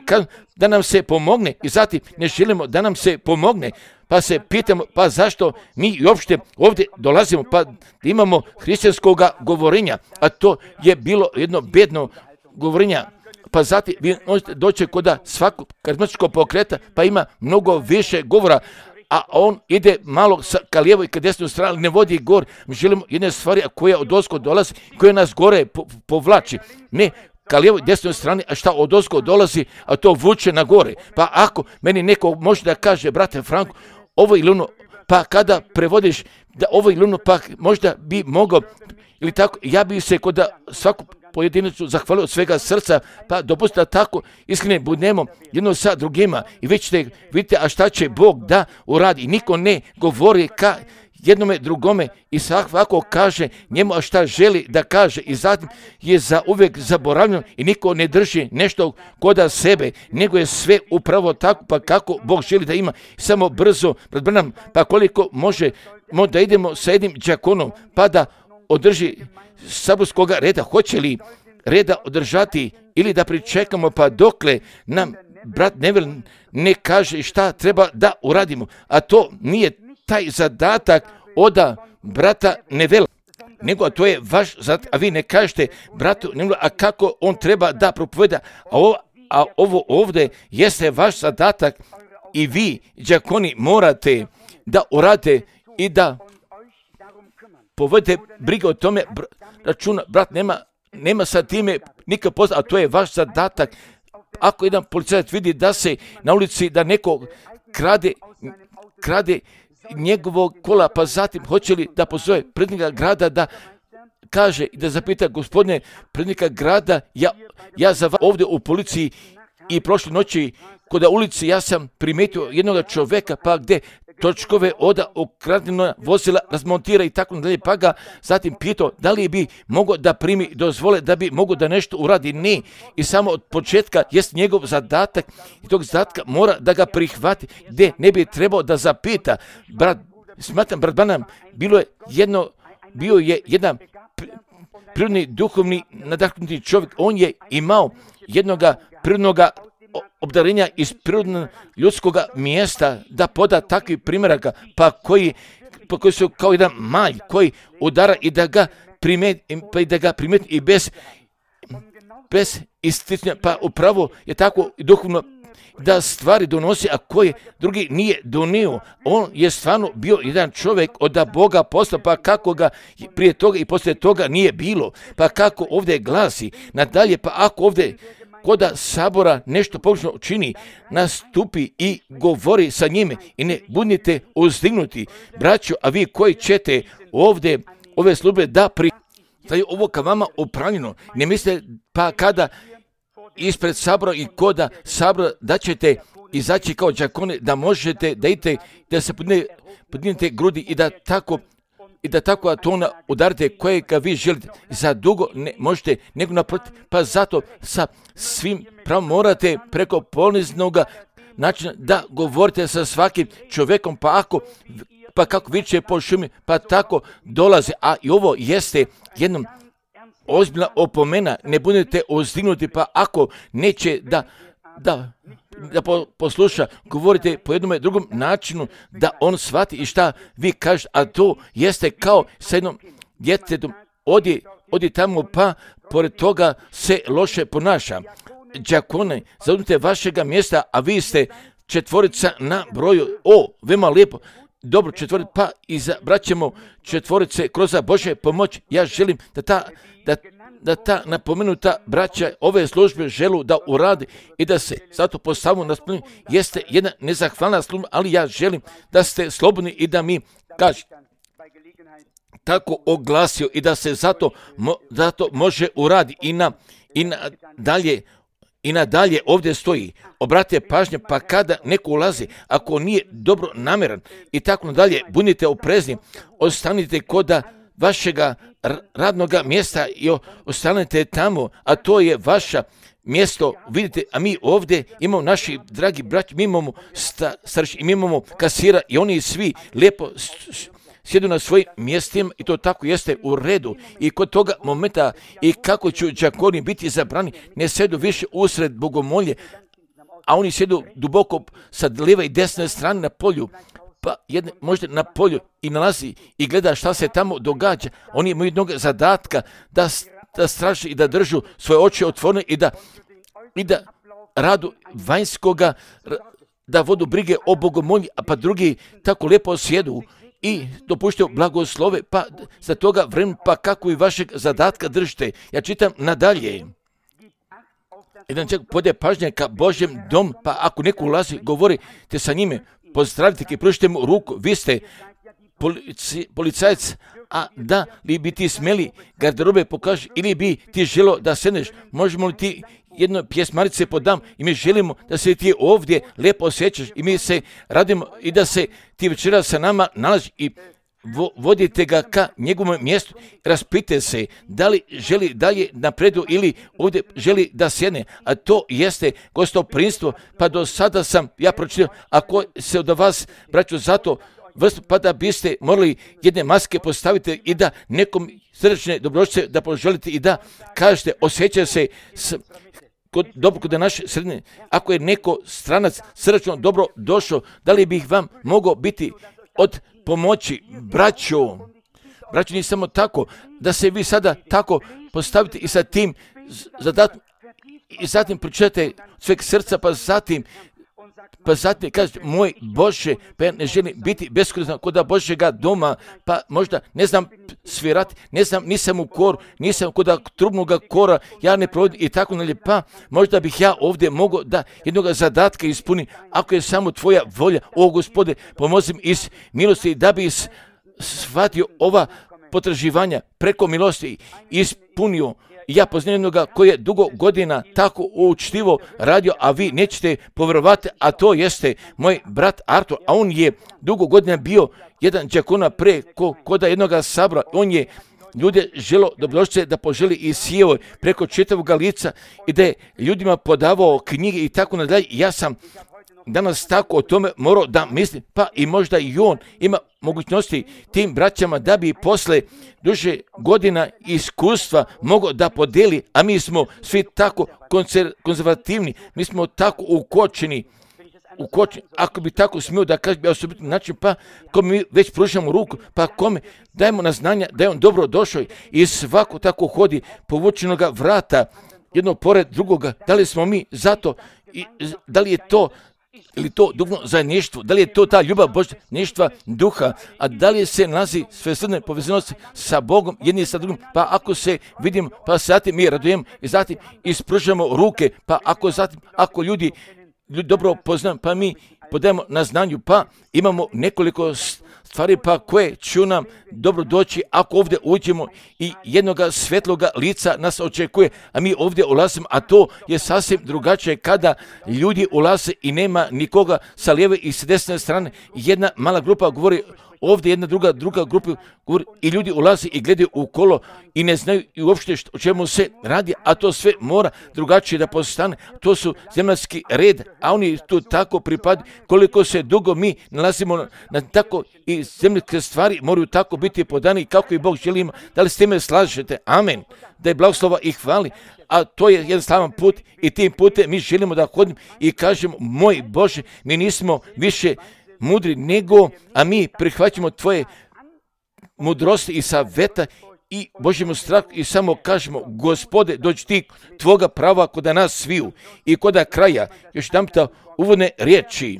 da nam se pomogne i zatim ne želimo da nam se pomogne, pa se pitamo, pa zašto mi uopšte ovdje dolazimo, pa imamo hrišćanskog govorenja, a to je bilo jedno bedno govorenja. Pa zatim vi možete doći kod svakog karizmatičkog pokreta, pa ima mnogo više govora, a on ide malo ka lijevo i ka desnoj strani, ne vodi gor. Mi želimo jedne stvari koja odozgo dolazi, koja nas gore povlači. Ne ka lijevoj i desnoj strani, a šta odozgo dolazi, a to vuče na gore. Pa ako meni neko može da kaže, brate Franko, ovo ili ono, pa kada prevodiš da ovo ili ono, pa možda bi mogao, ili tako, ja bi se kod svaku pojedinačnu zahvalio od svega srca, pa dopustite da tako iskreno budemo jedno sa drugima i vi ćete vidite, a šta će Bog da uradi. I niko ne govori ka jednome drugome i svako kaže njemu a šta želi da kaže i zatim je za uvijek zaboravljeno i niko ne drži nešto kod sebe, nego je sve upravo tako pa kako Bog želi da ima. Samo brzo, pa koliko može da idemo sa jednim đakonom pa da održi saborskog reda, hoće li reda održati ili da pričekamo pa dokle nam brat Neville ne kaže šta treba da uradimo, a to nije taj zadatak od brata Neville, nego to je vaš zadatak, a vi ne kažete bratu Neville, a kako on treba da propoveda, a ovo ovdje jeste vaš zadatak i vi, đakoni, morate da uradite i da povedete briga o tome, računa, brat nema sa time nikad pozna, a to je vaš zadatak. Ako jedan policajac vidi da se na ulici, da neko krade njegovog kola, pa zatim hoće li da pozove prednika grada da kaže i da zapita, gospodine prednika grada, ja za vas ovdje u policiji i prošle noći kod ulici ja sam primetio jednog čoveka, pa gde točkove od ukradena vozila razmontira i tako dalje, pa ga zatim pitao da li bi mogao da primi dozvole da bi mogao da nešto uradi. Ne, i samo od početka jest njegov zadatak i tog zadatka mora da ga prihvati, gdje ne bi trebao da zapita. Smatram, brat Branham, bio je jedan prirodni, duhovni, nadahnuti čovjek, on je imao jednoga prirodnoga obdarenja iz prirodnog ljudskog mjesta da poda takvi primjeraka, pa koji su kao jedan malj koji udara i da ga primeti i bez isticanja, pa upravo je tako duhovno da stvari donosi, a koji drugi nije donio. On je stvarno bio jedan čovjek od Boga postao, pa kako ga prije toga i poslije toga nije bilo, pa kako ovdje glasi nadalje, pa ako ovdje kod sabora nešto pogrešno čini, nastupi i govori sa njime i ne budite uzdignuti, braćo, a vi koji ćete ovdje ove službe da prihvataju ovo ka vama upravljeno, ne mislite pa kada ispred sabora i kod sabora da ćete izaći kao đakoni, da možete da idete, da se podignete grudi i da tako tona udarite kojega vi želite. Za dugo ne možete nego naprotiv, pa zato sa svim pravom morate preko poniznog načina da govorite sa svakim čovjekom, pa kako viče po šumi, pa tako dolaze. A i ovo jeste jednom ozbiljna opomena, ne budete uzdignuti, pa ako neće da posluša, govorite po jednom drugom načinu da on shvati i šta vi kažete, a to jeste kao sa jednom djetetom, odi tamo pa pored toga se loše ponaša. Đakone, zauzmite vašega mjesta, a vi ste četvorica na broju, veoma lijepo, dobro četvorica, pa izabraćemo četvorice kroz Božje pomoć. Ja želim da ta napomenuta braća ove službe želu da uradi i da se zato postavu na spomenu. Jeste jedna nezahvalna služba, ali ja želim da ste slobodni i da mi kažete tako oglasio i da se zato može uradi i nadalje ovdje stoji. Obratite pažnje, pa kada neko ulazi, ako nije dobro namjeran i tako nadalje, budite oprezni, ostanite kod vašega radnog mjesta i ostanete tamo, a to je vaše mjesto. Vidite, a mi ovdje imamo naši dragi braći, mi imamo starši, mi imamo kasira i oni svi lijepo sjedu na svojim mjestima i to tako jeste u redu. I kod toga momenta i kako će đakoni biti zabrani, ne sjedu više usred bogomolje, a oni sjedu duboko sa lijeve i desne strane na polju. pa možda na polju i nalazi i gleda šta se tamo događa. Oni imaju jednog zadatka da straže i da držu svoje oči otvorene i da radu vanjskoga, da vodu brige o bogomolji, a pa drugi tako lijepo sjedu i dopuštaju blagoslove, pa za toga vremena, pa kako i vašeg zadatka držite. Ja čitam nadalje. Jedan čak pode pažnje ka Božjem dom, pa ako neko ulazi, govorite sa njime, pozdravite i pružite mu ruku, vi ste policajac, a da li bi ti smeli garderobe pokaži ili bi ti želo da sedneš, možemo li ti jedno pjesmarice podam i mi želimo da se ti ovdje lijepo osjećaš i mi se radimo i da se ti večera sa nama nalazi i vodite ga ka njegovom mjestu, raspite se da li želi dalje napredu ili ovdje želi da sjedne, a to jeste gostoprimstvo, pa do sada sam ja pročitao, ako se od vas, braćo, zato vrstu, pa da biste morali jedne maske postaviti i da nekom srdečne dobrodošlice da poželite i da kažete, osjeća se dobro kod naše sredine, ako je neko stranac srdečno dobro došao, da li bih vam mogao biti od pomoći, braćo, nije samo tako, da se vi sada tako postavite i sa tim zadatkom, i zatim pročitate sveg srca, pa zatim kažete, moj Bože, pa ja ne želim biti beskoristan kod Božjega doma, pa možda ne znam svirati, nisam u koru, nisam kod trubnoga kora, ja ne provodim i tako dalje, pa možda bih ja ovdje mogao da jednog zadatka ispunim, ako je samo tvoja volja, o Gospode, pomozi mi iz milosti da bi shvatio ova potraživanja preko milosti ispunio. Ja poznam jednoga koji je dugo godina tako učtivo radio, a vi nećete povjerovati, a to jeste moj brat Artur, a on je dugo godina bio jedan đakona pre koda jednoga sabora. On je ljude želo dobrodošlice da poželi i sjeo preko čitavog lica i da je ljudima podavao knjige i tako nadalje. Ja sam danas tako o tome morao da mislim, pa i možda i on ima mogućnosti tim braćama da bi posle duže godina iskustva mogao da podeli, a mi smo svi tako konzervativni, mi smo tako ukočeni, ako bi tako smio da kažem osobitni način, pa kome mi već pružamo ruku, pa kome dajemo na znanja da je on dobro došao i svako tako hodi povučenoga vrata jedno pored drugoga, da li smo mi zato, da li je to ili to duhovno zajedništvo, da li je to ta ljubav Božništva duha, a da li se nalazi svesrdne povezanosti sa Bogom jedni sa drugim, pa ako se vidimo, pa zatim mi radujemo i zatim ispružamo ruke, pa ako ljudi dobro poznamo, pa mi podajemo na znanju, pa imamo nekoliko stvari pa koje će nam dobro doći ako ovdje uđemo i jednoga svetloga lica nas očekuje, a mi ovdje ulazimo, a to je sasvim drugačije kada ljudi ulaze i nema nikoga sa lijeve i s desne strane. Jedna mala grupa govori ovdje, jedna druga grupa govori i ljudi ulaze i gledaju u kolo i ne znaju i uopšte o čemu se radi, a to sve mora drugačije da postane. To su zemaljski red, a oni tu tako pripadaju. Koliko se dugo mi nalazimo na tako i zemaljske stvari moraju tako biti podani kako i Bog želi. Da li s time slažete? Amen. Da je blagoslova i hvali. A to je jedan slavan put i tim putem mi želimo da hodimo i kažemo, moj Bože, mi nismo više mudri nego, a mi prihvaćamo tvoje mudrosti i saveta i Božjemu strahu i samo kažemo, Gospode, dođi ti tvoga prava kod nas sviju i kod kraja. Još jedanputa uvodne riječi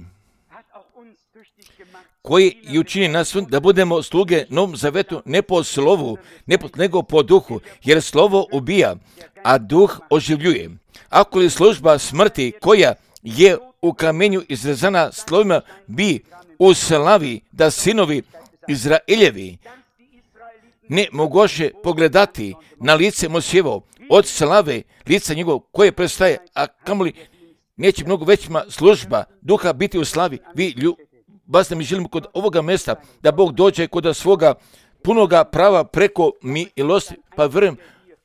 koji i učini nas da budemo sluge Novom zavetu ne po slovu, nego po duhu, jer slovo ubija, a duh oživljuje. Ako li služba smrti koja je u kamenju izrezana slovima bi u slavi da sinovi Izraeljevi ne mogoše pogledati na lice Mojsijevo od slave lica njegov koje prestaje, a kamoli neće mnogo većima služba duha biti u slavi. Vi vas mi želimo kod ovoga mjesta da Bog dođe kod svoga punoga prava preko milosti, pa vjerujem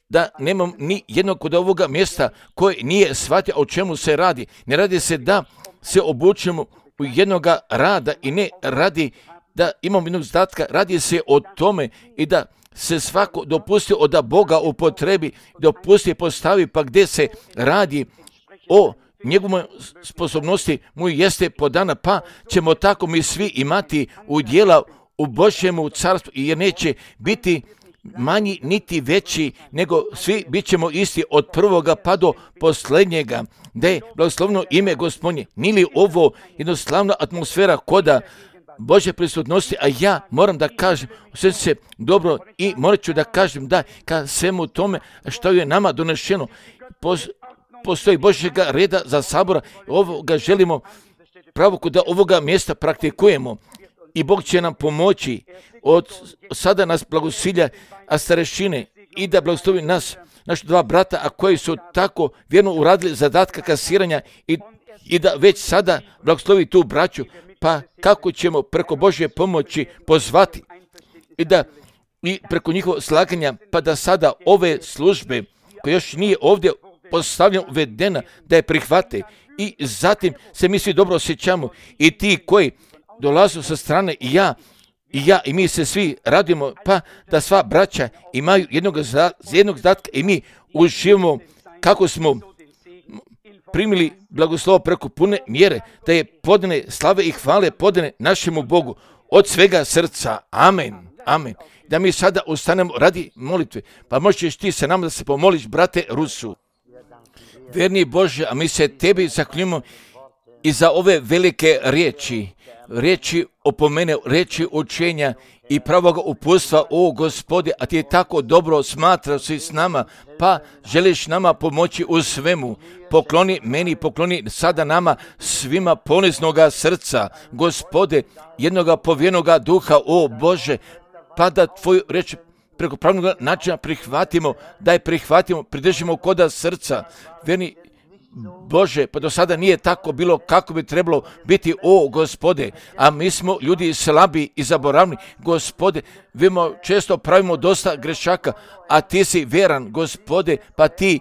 da nemam ni jednog kod ovoga mjesta koji nije shvatio o čemu se radi. Ne radi se da se obučemo u jednoga rada i ne radi da imamo jednog zadatka, radi se o tome i da se svako dopusti od Boga upotrebi, dopusti postavi, pa gdje se radi o njegove sposobnosti mu jeste podana, pa ćemo tako mi svi imati udjela u Božjemu carstvu, jer neće biti manji niti veći, nego svi bit ćemo isti od prvoga pa do posljednjega. Da je blagoslovno ime Gospodnje. Nije li ovo jednostavna atmosfera koda Božje prisutnosti, a ja moram da kažem sve se dobro i morat ću da kažem da ka svemu tome što je nama donešeno postoji Božjega reda za sabora, ovoga želimo pravo da ovoga mjesta praktikujemo i Bog će nam pomoći od sada nas blagosilja, a starešine i da blagoslovi nas, naši dva brata, a koji su tako vjerno uradili zadatka kasiranja i da već sada blagoslovi tu braću, pa kako ćemo preko Božje pomoći pozvati i preko njihovog slaganja, pa da sada ove službe koje još nije ovdje postavljena, uvedena, da je prihvate i zatim se mi svi dobro osjećamo i ti koji dolaze sa strane i ja i mi se svi radimo, pa da sva braća imaju jednog zadatka i mi uživamo kako smo primili blagoslovo preko pune mjere, da je podane slave i hvale podane našemu Bogu od svega srca. Amen. Amen. Da mi sada ustanemo radi molitve, pa možeš ti sa nama da se pomoliš, brate Rusu. Verni Bože, a mi se tebi zahvaljujemo i za ove velike riječi opomene, riječi učenja i pravoga uputstva, o Gospode, a ti je tako dobro smatrao si s nama, pa želiš nama pomoći u svemu. Pokloni meni, pokloni sada nama svima poniznoga srca, Gospode, jednoga povjernoga duha, o Bože, pa da tvoju riječ preko pravnog načina prihvatimo, da je prihvatimo, pridržimo koda srca. Verni Bože, pa do sada nije tako bilo kako bi trebalo biti, o Gospode, a mi smo ljudi slabi i zaboravni, Gospode, vidimo često pravimo dosta grešaka, a ti si vjeran, Gospode, pa ti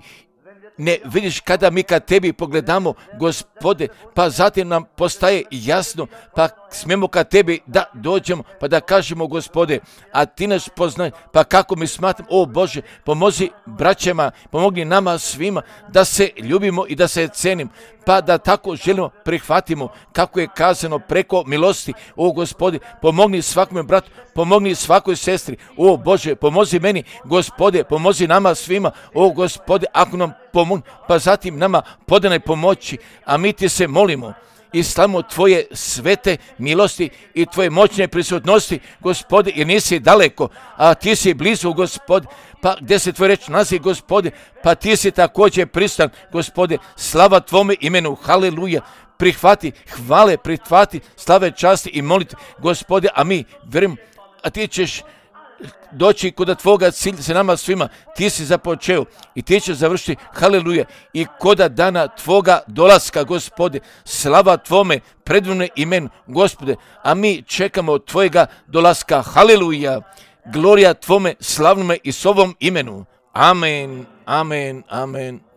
ne vidiš kada mi kad tebi pogledamo, Gospode, pa zatim nam postaje jasno, pa smijemo kad tebi da dođemo, pa da kažemo, Gospode, a ti nas poznaj, pa kako mi smatram, o Bože, pomozi braćama, pomogni nama svima da se ljubimo i da se cenim, pa da tako želimo prihvatimo kako je kazano preko milosti, o Gospode, pomogni svakome bratu, pomogni svakoj sestri, o Bože, pomozi meni, Gospode, pomozi nama svima, o Gospode, ako nam pomoći, pa zatim nama podane pomoći, a mi ti se molimo i slavimo tvoje svete milosti i tvoje moćne prisutnosti, Gospode, jer nisi daleko, a ti si blizu, Gospode, pa gdje se tvoj reč nalazi, Gospode, pa ti si također pristan, Gospode, slava tvome imenu, haleluja, prihvati hvale, prihvati slave, časti i molitve, Gospode, a mi vjerujem, a ti ćeš doći kod tvoga cilja se nama svima, ti si započeo i ti ćeš završiti, haleluja, i koda dana tvoga dolaska, Gospode, slava tvome predivnom imenu, Gospode, a mi čekamo tvojega dolaska, haleluja, glorija tvome slavnome i s ovom imenu, amen, amen, amen.